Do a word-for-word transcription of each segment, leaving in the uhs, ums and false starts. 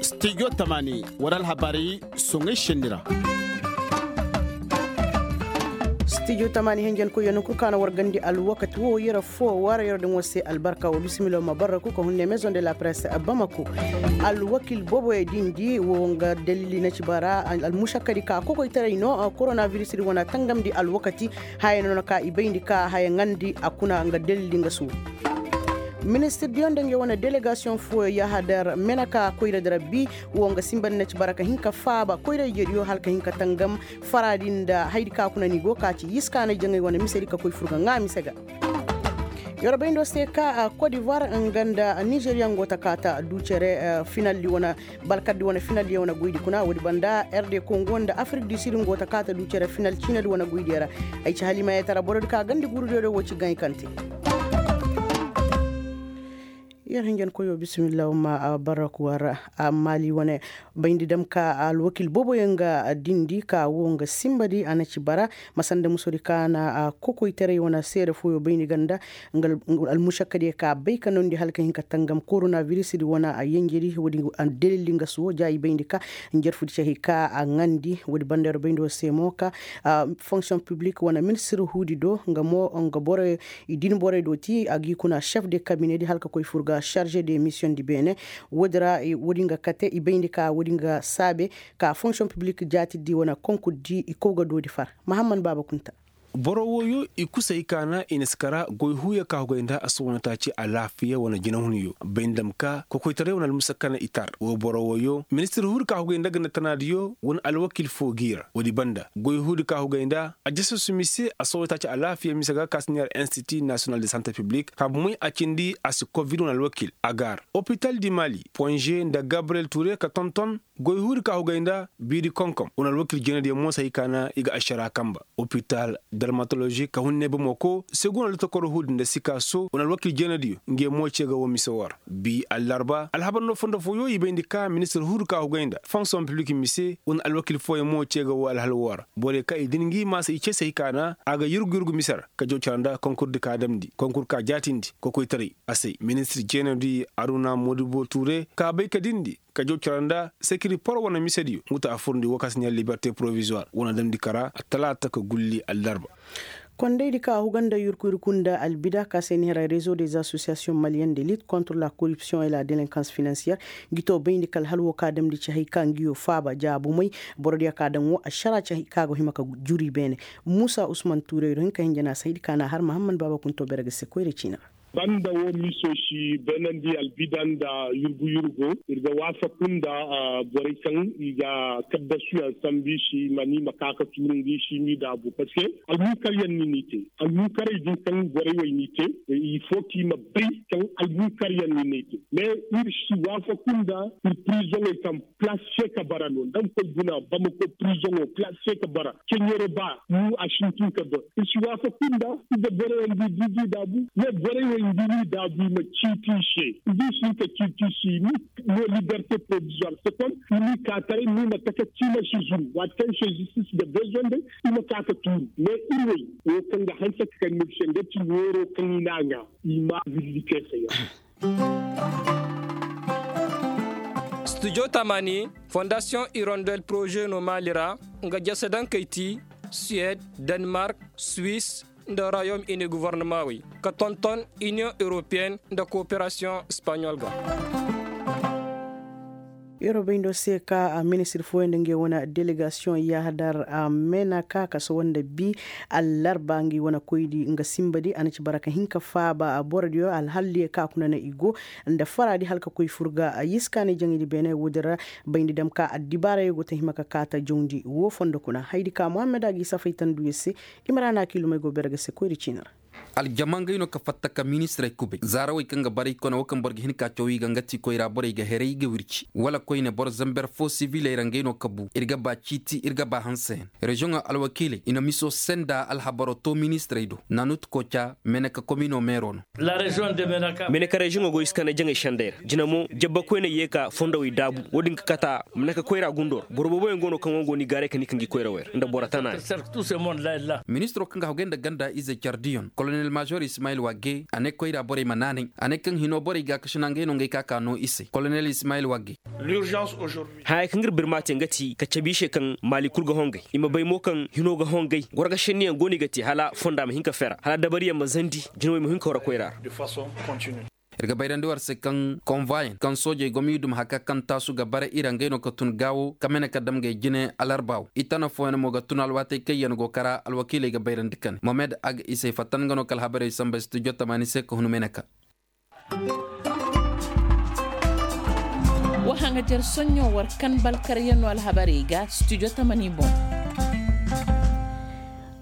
Studio tamaani war alhabaari soŋay senni ra. Studio tamaani henjen koyyo ni kul kaana war gandi alwakati wo yera fo war yera din wo se albarka wo bisimila ma barraku ka hunne maison de la presse bamako. Alwakil boboyo dindi wo nga dalili na ci bara almušakkadi ka kokoytaray no. Koronaviris di wana tangamdi alwakati haya no na ka i bayndi ka haya ŋandi a kuna nga dalili nga su. Ministir diyo nda ngey wane delegasiyoŋ fooyo yahadar menaka koyra da rabbi wo nga simbandi na ci bara ka hin ka faaba koyra ijediyo hala ka hin ka tangam. Faraadi nda haydi ka kuna ni go ka ci yiskaana jaŋay wane misedi ka koy furga ŋaa mise ga. Yorobay ndo se ka kodivar nga nda nizeriya ngo ta kaata du cere finaldi wane balkaddi wane finaldi wane goydi kuna woodi banda rd kongo nda afrik du sud ngo ta kaata du cere final ciinadi wane goydiyo ra. Ay ci halimayetara borodi ka gandi gurudiyo do wo ci gaŋ i kante. Yer hinjan koyo bisimilla ma barraku war. Amma li wane bayndi dam ka alwakil boboyo nga dindi ka wo nga simbadi a na ci bara. Masanda musodi ka na kokoytaray wane seere foyo bayndi ganda nga almušakkadiyo ka bay ka nondi hala ka hin ka tangam koronaviris di wane a yenjedi woodi. Dalildi nga suwo ja i bayndi ka njarfudi cahi ka a ŋandi woodi banda yer bayndi wo se mo ka fonksiyoŋ piblik wane ministir huudi do nga mo nga boroyo i din borey do ti a gi kuna chef de kabinedi hala ka koy fur ga charge de mission di beene. Woodi ra woodi nga kate i bayndi ka woodi nga saabe ka fonction publik jaatidi wane konkur di i kow ga doodi far. Mahammad baaba kunta. Boro wooyo i kusay kaana i na si kara goy huuyo ka hugay nda a si wane taaci alaafiya wane jinahunyo bayndi dam ka kokoytaray wane almusa kana i tar wo boro wooyo ministir huudi ka hugay nda ganda tanaadiyo wane alwakil foo g'i ra woodi banda goy huudi ka hugay nda a jasasu mise a si wane taaci alaafiya mise ga ka si neera institut national de sante publik ka bumey a cindi a si covid wane alwakil a gaar opital di mali ponže nda gabriyel ture ka tonton goy huudi ka hugay nda biiri konkom wane alwakil jeenadiyo mo si hay kaana i ga ašara kanba opital dermatoložik ka hunne bamako segun wane lotokoro huudi nda sikaso wane alwakil jeenadiyo ngey mo ce ga wo mise woo ra bi allarba alhabar no fondo fooyo i bayndi ka ministir huudi ka hugay nda fonksiyoŋ piblik mise wane alwakil fooyaŋ mo ce ga wo alhal woo ra borey ka i din ngi maasa i ce si hay kaana a ga yurgu yurgu mise ra ka jaw cara nda konkur di ka damndi konkur ka jaatindi kokoytaray a se ministir jeenadiyo aruna modibo ture ka bay ka dindi ka jaw cara nda sekiri poro wane misediyo nga ta a furndi woo ka si neera liberte porovizuwar wane damndi kara attalaata ka gulli allarba. Kondaydi ka huga nda yurku yurku nda albida ka se ni hera rezo des asosiyasiyoŋ maliyen de lit kontre la koripsiyoŋ e la delenkans finansiyer ngi to bayndi ka alhal woo ka damndi ci hay ka ngiyo faaba jaabumay borodiyo ka daŋ woo ašara ci hay ka go hima ka juri beene. Muusa usman tuurey do hin ka hinja na saydi ka na har mahamman baaba kunto bere ga se koyra ciina ra. Banda wo miso si beenandi albida nda yurgu yurgo ir ga waafaku nda borey kaŋ i ga kaddasuyaŋ sambu i si mani ma ka ka tuuru ngi si m'i daabu parceque almunkaryaŋ ni n'i te almunkarey din kaŋ borey wey n'i te. Ifo k'i ma bay kaŋ almunkaryaŋ ni n'i te mais ir si waafaku nda ir prizoŋey kaŋ plas se ka bara no nda nga koy guna bamako prizoŋo plas se ka bara ceɲero ba mu a sintin ka dor i si waafaku nda. Ize borey wey ngi di ngi daabu ne borey wey ngi ni daabu i ma ciiti i se. Ngi si ka ciiti i se i ma no liberte provisoir se kon i ma i ka taray ni ma taka ci ma si zuru waati kaŋ se zistis ga bezonde i ma ka ka tuuru mais ir wey wo kaŋ ga hanse ka kay mil se nga ci neero kaŋ i na a ŋaa i ma villi te se yaŋ. Studio tamani fondasiyoŋ irondel poroze no maali ra nga jase daŋ kay ti suwed, denmark, swis, nda rayom ini govornamaawey ka tonton iniyoŋ europeyen nda koperasiyoŋ espaɲol ga. Yer wo bay ndo se ka ministir fooyaŋ nda ngey wane delegasiyoŋ yahadar a mena ka ka sohõ nda bi allarba ngey wane koydi nga simbadi a na ci bara ka hin ka faaba borodiyo alhalliyo ka kuna na i go nda faraadi hala ka koy fur ga yiskaanay jaŋaydi beene woodin ra. Bayndi dam ka addibaarayo go ta hima ka kaata jawndi woo fondo kuna haydi ka muhammad a g'i safay tanduyo se. Imrana kiilumey go bere ga se koyri ciini ra. Aljama ngey no ka fatta ka ministirey kubay zaarawey kaŋ ga baray kone wo kaŋ boro ga hin ka caw i ga nga ti koyra borey ga heray i ga wirci wala koyne boro zamber fo siviley ra ngey no ka bu ir ga ba ciiti ir ga ba hanseyaŋ. Reziyoŋo alwakiiley i na miso senda alhabaro to ministirey do nanut koca meneka komino meero no. Meneka reziyoŋo go i si kande jaŋey sendey ra jina mo jabba koyney ye ka fondowey daabu wo-din ga kata meneka koyra gundo ra boro booboyaŋ go no kaŋ wo go no i gaaray ka ni ka ngi koyrawey ra nda boro tanaani. Ministiro kaŋ ga hagay nda ganda ize cardiyon. Kolonel maazor ismayil wagge a ne koyra borey ma naanay. A ne kaŋ hino borey gaakasina ngey no ngey ka ka noo i se kolonel ismayil wagge. Haya kaŋ ir birma te nga ti ka cabe i se kaŋ maali kul ga hongay i ma bay mo kaŋ hino ga hongay gorga senniyaŋ go no i ga te hala fonda ma hin ka fera hala dabariyaŋ ma zandi jinawey ma hin ka wara koyra ra. Ir ga bayrandi war se kaŋ konvoyaŋ kaŋ soojey gomyudum haka kaŋ taasu ga bara i ra ngey no ka tun gaawo ka mene ka dam ngey jine alarba wo i tana fooyaŋ mo ga tun alwaatey kaŋ yaŋ go kara alwakiiley ga bayrandi kane mohamed aga isey fatta nga no ka alhabarey samba studio tamaani se ka hun mene ka. Wa haŋajer soɲɲo war kan balkaryaŋo alhabarey ga studio tamani boŋ.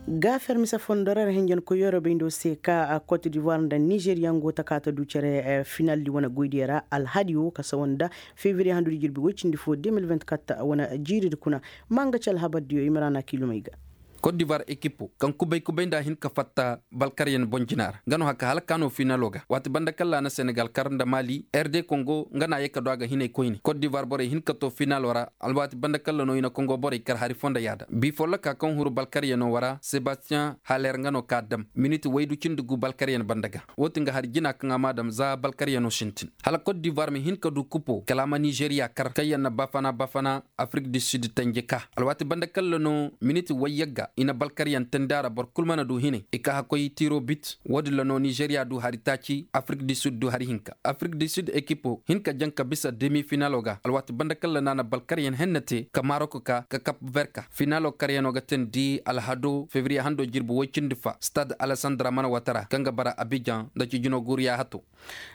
Ga fermisa fondo ra ra hinjankoyyo ra bayndo se ka kot divoir nda nizeriya ngo taka ta du cere finaldi wane goydiyo ra alhadi wo ka sawa nda fevriye handudi jirbi woy cindi fo de mil vingt-quatre wane jiiridi kuna. Ma nga ci alhabardiyo i ma ra na kiilumey ga. Kot divoir ekipo kaŋ kubay kubay nda a hin ka fatta balkaryaŋ boŋ jina ra nga no haka hala ka no finalo ga waati banda kalla a na senegal kar nda mali r d kongo nga no a ye ka du a ga hinay koyne kot divoir borey hin ka to finalo ra. Alwaati banda kalla no i na kongo borey kar hari fo nda yaada bi folloka kaŋ huru balkaryaŋo wara sebastiyaŋ haler nga no ka dam miniti waydu cindi gu balkaryaŋ banda ga. Wo ti nga hari jina kaŋ a ma dam za balkaryaŋo sintin hala kot divoir ma hin ka du kupo kala a ma nizeriya kar kaŋ yaŋ na bafana bafana afrik du sid tanje ka alwaati banda kalla no miniti wayyagga i na balkaryaŋ tandi a ra boro kul mana du hinay i ka hakkoy tiro bit. Wo-din ra no nizeriya du hari taaci afrik du sid du hari hinka afrik du sid ekipo hin ka jaŋ ka bisa demi finalo ga alwaati banda kalla no a na balkaryaŋ henna te ka marok ka ka kap ver ka finalo karyaŋo ga teendi alhado fevriye hando jirbi woy cindi fa stad alesandra mana watara kaŋ ga bara abijan nda cijino guuru yaahato.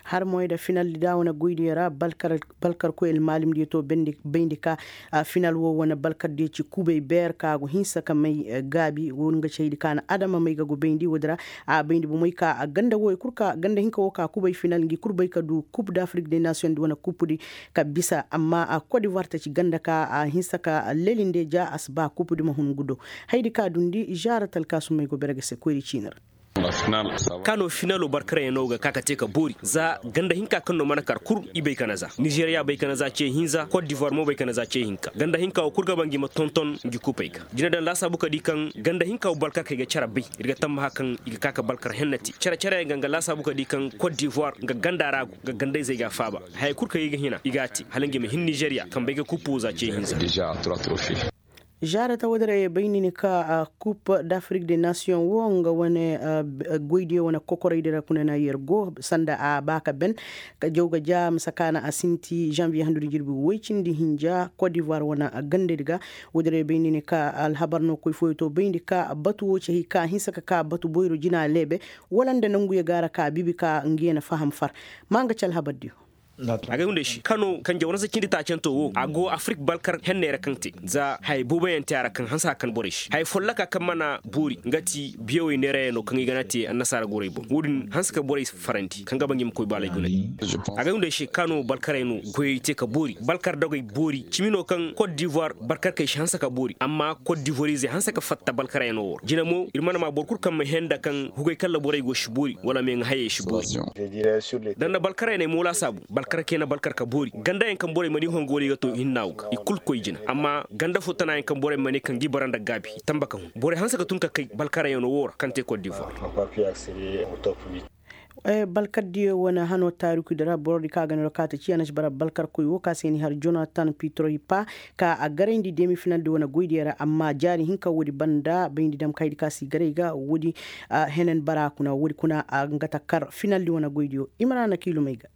Har moy nda finaldi da wane goydiyo ra balkarkoy almaalimdiyo to bayndi ka final wo wane balkardiyo ci kubay beer ka go hinsa ka may gaabi wo nga ci haydi ka na adama may ga go bayndi wo- din ra. A bayndi bomey ka ganda wo i kul ka ganda hinka wo ka kubay final ngi kul bay ka du kub dafrik de nasiyoŋ di wane kupudi ka bisa amma kot divoir ta ci ganda ka a hinsa ka lelinde ja a si ba kupudi ma hun ngu do. Haydi ka dundi zaara talkaasumey go bere ga se koyri ciini ra. Ka no finalo barkarayaŋo ga ka ka te ka boori za ganda hinka kaŋ no mana kar kul i bay ka na za nizeriya bay ka na za ce hinza kot divoir mo bay ka na za ce hinka ganda hinka wo kul ga ba ngi ma tonton ngi kupey ga jina daŋ laasaabu ka di kaŋ ganda hinka wo balkarkey ga care bay. Ir ga tammaha kaŋ i ga ka ka balkar hennati care careyaŋ ga nga laasaabu ka di kaŋ kot divoir nga ganda ra go nga gandayzey ga a faaba. Hayey kul kaŋ i ga hina i ga a te hala ngi ma hin nizeriya kaŋ bay ga kuppu za ce hinza. Zaarata wo- din ra ye bay ni ni ka kup dafrik de nasiyoŋ wo nga wane goydiyo wane kokoraydi ra kuna na yer go sanda a ba ka ben. Ka jaw ga ja misa ka na a sinti zanviye handudi jirbi woy cindi hinja kot divoir wane gandadi ga. Wo- din ra ye bay ni ni ka alhabar no koy fooyo to bayndi ka batu wo ci hay ka hinsa ka ka batu boyro jina leebe wala nda nanguyo ga ra ka biibi ka ngiyo na faham far. Ma nga ci alhabardiyo. Agay hunday se kano kanje wane se cindi taacanto wo a go afrik balkar henney ra kaŋ te za hayey booboyaŋ te a ra kaŋ hanse ka kan borey se hayey folloka kaŋ mana boori nga ti biyawey neerayaŋo kaŋ i gana te annasaara gorey boŋ wo- din hanse ka borey farandi kaŋ ga ba ngi ma koy baalay gunay. Agay hunday se kano balkarey no goyey te ka boori balkar dogey boori cimi no kaŋ kot divoir balkarkey se hanse ka boori amma kot divorizey hanse ka fatta balkarey no wo ra jina mo ir mana ma boro kul kaŋ ma henda kaŋ hugay kalla borey go si boori wala meeŋa hayey si boori. Da nda balkarayaney mo laasaabu balkar kay na balkar ka boori gandayaŋ kaŋ borey mana i hongo wala i ga to hinna wo ga i kul koy jina amma ganda fo tanayaŋ kaŋ borey mana i kaŋ ga i bara nda gaabi i tamba ka hun borey hanse ka tun ka kay balkarayaŋo wo ra kaŋ te kot divoir. Balkar diyo wane hano taarikudi ra borodi kaŋ a ga no ra kaati ci a na ci bara balkarkoy wo kaŋ a se ni har jonatan pitroy pa ka a garayndi demi finaldi wane goydiyo ra amma jaari hinka woodi banda bayndi dam kaydi kaŋ a si garay ga woodi. Henen bara kuna woodi kuna a nga ta kar finaldi wane goydiyo i ma ra na kiilumey ga.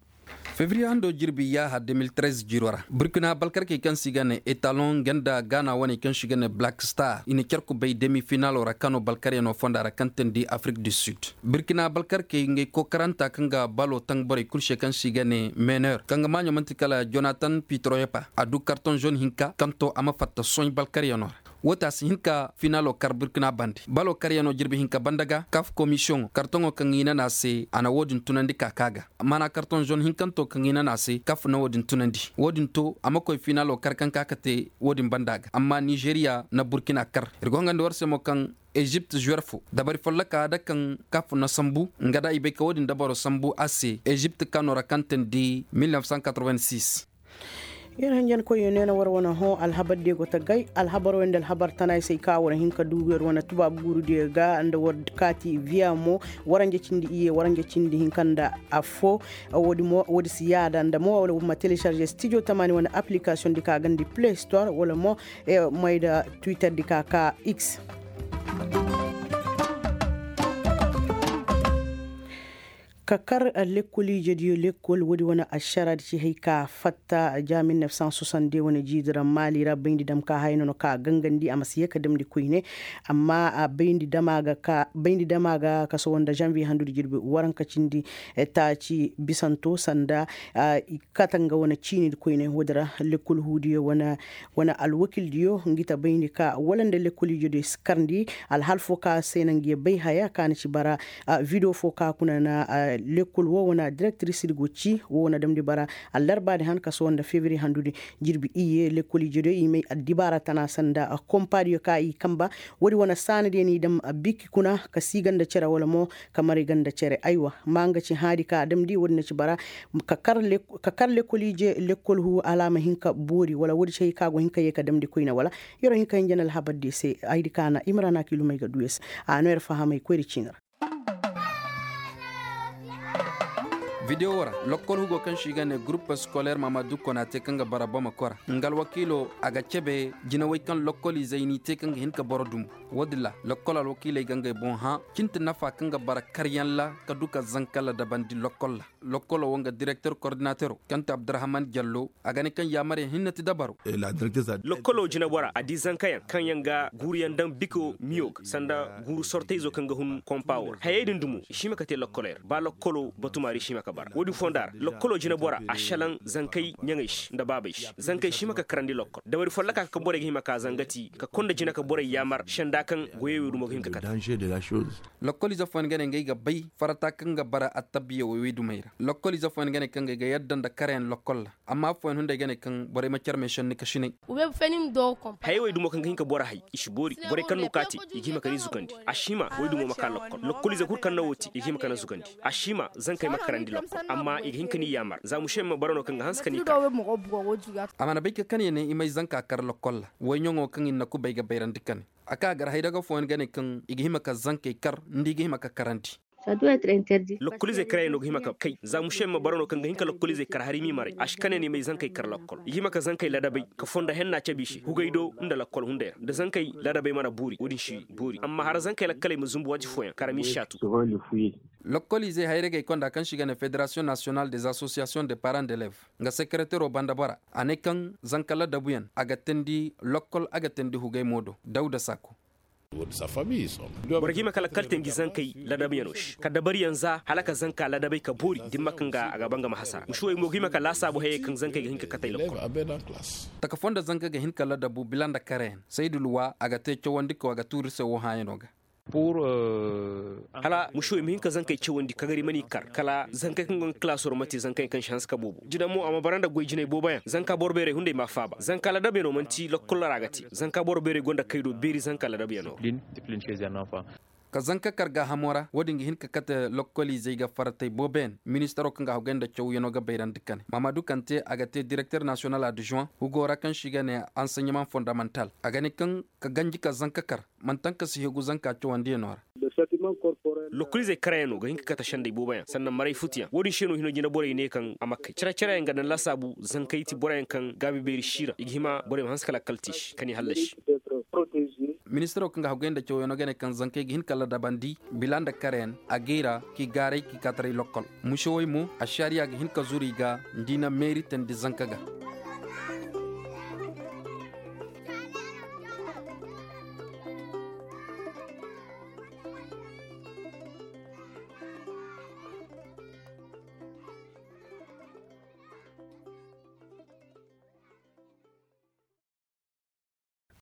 Fevriye hando jirbi yaaha de mil trez jiiro ra burkina balkarkey kaŋ se i ga ne etalon nga nda gaana waney kaŋ se i ga ne black star i na care kubay demi finalo ra kano balkaryaŋo fonda ra kaŋ teendi afrik du sud. Burkina balkarkey ngey kookaranta kaŋ ga balo taŋ borey kul se kaŋ se i ga ne meneur kaŋ ga maaɲo man'ti kala jonatan pitroyepa a du kartoŋ zone hinka kaŋ to a ma fatta soɲ balkaryaŋo ra. Wo te a si hin ka finalo kar burkina bande balo karyaŋo jirbi hinka banda ga kaf komisiyoŋo kartoŋo kaŋ i nana se a na wo-din tunandi ka ka ga. Maana kartoŋ zone hinkanto kaŋ i nana se kaf na wo-din tunandi wo-din to a ma koy finalo kar kaŋ ka ka te wo-din banda ga amma nizeriya na burkina kar ir go hangandi war se mo kaŋ ezipt zuwer fo dabari folloka da kaŋ kaf na sambu nga da i bay ka wo-din dabaro sambu a se ezipt kano ra kaŋ teendi mil neuf cent quatre-vingt-six. Yer hinjankoyyo neena war wane hõ alhabar diyo go ta gay alhabar wande alhabar tana ay se ay ka war hin ka du yer wane tubaabu guuru diyo ga nda war kaati viya mo. Waranja cindi iyye waranja cindi hinka nda affo. Woodi si yaada nda mo wala war ma telecarze studio tamaani wane application di ka gandi play store wala mo may nda twitter di ka ka x. Ka kar lekkol ijediyo lekkol woodi wane ašaraadi ci hay ka fatta ja mil nef san sosandi wane jiidi ra maali ra bayndi dam ka haya nono ka gangandi a ma si ye ka damndi koyne. Amma bayndi dama ga ka bayndi dama ga kaso wanda janviye handudi jirbi waranka cindi taaci bisanto sanda i kate nga wane ciinidi koyne woodi ra lekkol huudiyo wane alwakildiyo ngi ta bayndi ka wala nda lekkol ijediyo si karndi alhal fo ka se na ngi bay haya ka na ci bara. Video fo ka kuna na lekkol wo wane direktirisidi go ci wo wane damndi bara allarbaadi han kaso wanda febiri handudi jirbi iyye lekkol ijediyo i may addibaara tana sanda kompaadiyo ka i kamba. Woodi wane saanadiyo n'i dam biki kuna ka si ganda cere wala mo ka maray ganda cere aywa ma nga ci haadi ka damndi woodi na ci bara ka kar lekkol ije lekkol huu hala a ma hin ka boori wala woodi ci hay ka go hin ka yee ka damndi koyne wala. Yer'o hin ka hinja na alhabar diyo se hayadi ka na imrana kilumey ga du yer se. A no yer fahamay koyri ciini ra. Videwo ra lokkol hugo kaŋ se i ga ne gurup eskoler mamadu konate kaŋ ga bara bamako ra nga alwakiilo a ga cebe jinawey kaŋ lokkol izey n'i te kaŋ ga hin ka boro dumbu. Woodin ra lokkol alwakiiley ga ngey boŋ hã cinti nafa kaŋ ga bara karyaŋ ra ka du ka zanka ladabandi lokkol ra. Lokkolo wo nga direkter kordinatero kaŋ ti abdurahman jallo a ga ne kaŋ yaamaryaŋ hinne ti dabaro. Lokkolo jinabora a di zankayaŋ kaŋ yaŋ ga guuruyaŋ daŋ biko miyo ga sanda guuru sortayzo kaŋ ga hun kompa wo ra hayey din dumo i si hima ka te lokkolo yer ba lokkolo batumaari si hima ka bara wo-din fonda ra lokkolo jinabora a šelaŋ zankey ɲaŋey se nda baabey se zankey si hima ka karandi lokkol dabari folloka kaŋ borey ga hima ka zangati ka konda jina ka borey yaamar senda kaŋ goyey wey dumo ga hin ka kate. Lokkol ize fooyaŋ ga ne ngey ga bay farata kaŋ ga bara attabiya wey wey dumey ra. Lokkol ize fooyaŋ ga ne kaŋ ngey ga yadda nda karayaŋ lokkol ra amma affooyaŋ hunday ga ne kaŋ borey ma care meesenni ka sinay. Hayey wey dumo kaŋ ga hin ka boro hay i si boori borey kaŋ no ka te i ga hima ka ni zugandi. A si hima wey dumo ma ka lokkol lokkol ize kul kaŋ no wo te i ga hima ka ni zugandi. A si hima zankey ma karandi lokkol amma i ga hin ka ni yaamar za mušeyaŋ ma bara no kaŋ ga hanse ka ni kar. A mana bay ka kane ne i may zanka kar lokkol ra woyɲaŋo kaŋ i na kubay ga bayrandi kane. A ka gar haydaga fooyaŋ ga ne kaŋ i ga hima ka zankey kar nda i ga hima ka karandi. Lokkolizey karayaŋ no ga hima ka kay za mušeyaŋ ma bara no kaŋ ga hin ka lokkolizey kar hari m'i maray a si kane no i may zankey kar lokkol i ga hima ka zankey ladabey ka fondo henna cabe i se hugay do nda lokkol hunday ra da zankey ladabey mana boori wo-din si boori amma hara zankey lakkaley ma zumbu waati fooyaŋ kar m'i saatu. Lokkolizey hayragey konda kaŋ se i ga ne federasiyoŋ nasiyonal des asosiyasiyoŋ de paran d'elev nga sekeretero banda bora a ne kaŋ zanka ladabuyaŋ a ga teendi lokkol a ga teendi hugay mo do dawda sako. Boro ga hima ka lakkal te ngi zankey ladabyaŋo se ka dabariyaŋ za hala ka zanka ladabey ka boori dimma kaŋ ga a ga ba nga ma hasara musuwey mo ga hima ka laasaabu hayey kaŋ zankey ga hin ka katey lokkol. Taka foo nda zanka ga hin ka ladabu bila nda karayaŋ saydu luwa a ga te cawandiko a ga tuuri se woo hãayano ga. Hala mušuwey ma hin ka zankey cawandi kagari ma n'i kar kala zankey kaŋ go nga kalaasoo ra ma te zankayaŋ kaŋ si hanse ka boobo jina mo a ma bara nda goy jinay booboyaŋ zanka boro beerey hunday m'a faaba zanka ladabyaŋo man'ti lokkol ra a ga te zanka boro beerey go nda kay do beeri zanka ladabyaŋo ra. Ka zanka kar gaahamo ra wo-din ga hin ka kate lokkoliizey ga faratey booboyaŋ ministaro kaŋ ga haggoy nda cawyaŋo ga bayrandi kane maamadu kante a ga te direkter nasiyonal adjuwan hugo ra kaŋ se i ga ne anseɲemaŋ fondamantal a ga ne kaŋ ka ganji ka zanka kar man'taŋ ka si hegu zanka cawandiyaŋo ra. Lokkoliizey karayaŋo ga hin ka kate sendey booboyaŋ sannan maray futuyaŋ wo-din se no hino jina borey ne kaŋ a ma kay cere-cereyaŋ ga daŋ laasaabu zankey ti boroyaŋ kaŋ gaabi beeri siira i ga hima borey ma hanse ka lakkal te i se ka n'i hallasi. Ministiro kaŋ ga haggoy nda cawyaŋo ga ne kaŋ zankey ga hin ka ladabandi bila nda kareyaŋ a gay ra k'i gaaray k'i kaataray lokkol mušewey mo ašariya ga hin ka zuru i ga nda i na meeri teendi zanka ga.